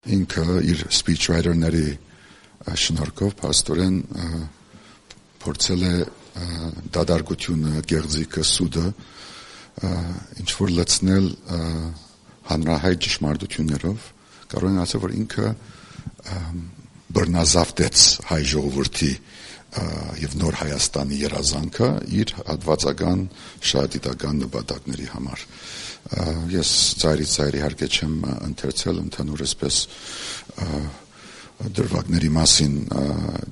Ինքը իր speechwriter-ների շնորհքով փաստորեն փորձել է դադարությունը, գեղձիկը, սուդը ինչ որ լցնել հանրահայտ ճշմարտություններով, կարող են ասել, որ ինքը բռնազավթեց հայ ժողովրդի եւ նոր Հայաստանի երազանքը իր հատվածական շահադիտական նպատակների համար։ Ես ծայրից ծայր իհարկե չեմ ընթերցել ընդհանուր այսպես դրվագների մասին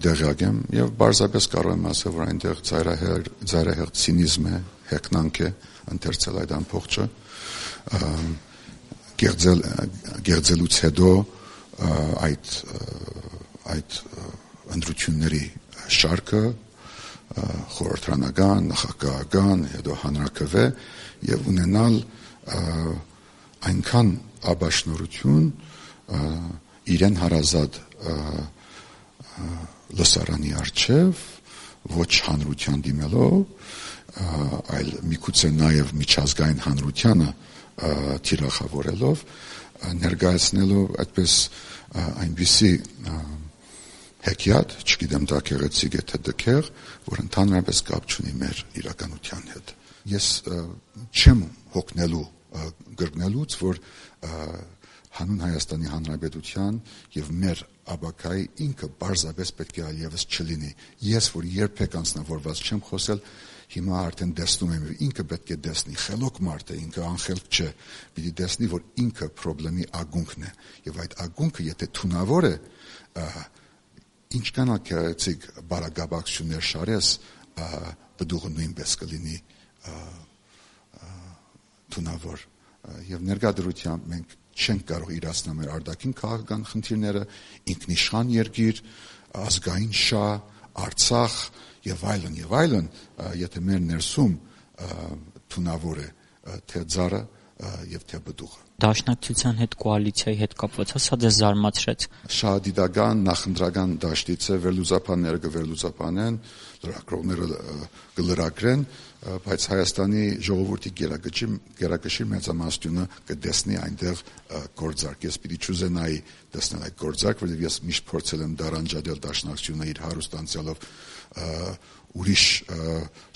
դեղյակ եմ եւ բարձրապես կարող եմ ասել, որ այնտեղ ծայրահեղ ցինիզմ է, հեգնանք է ընթերցել այդ ամբողջը գեղձելուց հետո այդ ընտրությունների շարքը խորհրդարանական, նախագահական, հետո հանրաքվե եւ ունենալ այնքան աբաշնորություն իրեն հարազատ լսարանի առջև ոչ հանրության դիմելով, այլ միգուցե նաեւ միջազգային հանրությանը թիրախավորելով ներկայացնելով այդպես այնպիսի հեքիաթ, չգիտեմ դա գեղեցիկ է թե դքեղ, որ ընդհանրապես կապ չունի մեր իրականության հետ։ Ես չեմ հոգնելու գրկնելուց, որ հանուն Հայաստանի Հանրապետության եւ մեր աբակայի ինքը բարձրապես պետք է այլևս չլինի։ Ես որ երբեք անձնավորված չեմ խոսել, հիմա արդեն տեսնում եմ, ինքը պետք է տեսնի, խելոք մարդ է, ինքը անխելք չէ, պիտի տեսնի, որ ինքը խնդրի ագունքն է, եւ այդ ագունքը եթե թունավոր է, ինչքան գեղեցիկ բարագաբակցություններ շարես, բդուղը նույնպես կլինի թունավոր։ Եվ ներկայդրությամբ մենք չենք կարող իրացնել մեր արտաքին քաղաքական խնդիրները, ինքնիշխան երկիր, ազգային շահ, Արցախ եւ այլն, եթե մեր ներսում թունավոր է թե ծառը եւ թե բդուղը։ Դաշնակցության հետ կոալիցիայի հետ կապված սա ձեզ զարմացրեց։ Շահադիտական, նախընտրական դաշտից է վերլուծաբանները կվերլուծաբանեն, լրագրողները կլրագրեն, բայց Հայաստանի ժողովրդի գերակշիռ մեծամասնությունը կտեսնի այնտեղ գործարք։ Ես պիտի չուզենայի տեսնել այդ գործարք, որովհետև ես միշտ փորձել եմ դարանջադել դաշնակցությունը իր հարուստ անցյալով ուրիշ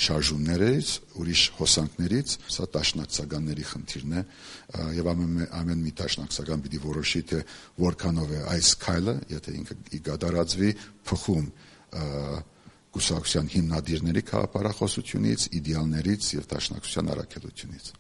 շարժումներից, ուրիշ հոսանքներից, սա դաշնակցականների խնդիրն է եւ ամեն մի դաշնակցական պիտի որոշի թե որքանով է այս քայլը, եթե ինքը կդարածվի փխում կուսակցության հիմնադիրների քաղաքապարախոսությունից, իդեալներից եւ դաշնակցության առաքելությունից։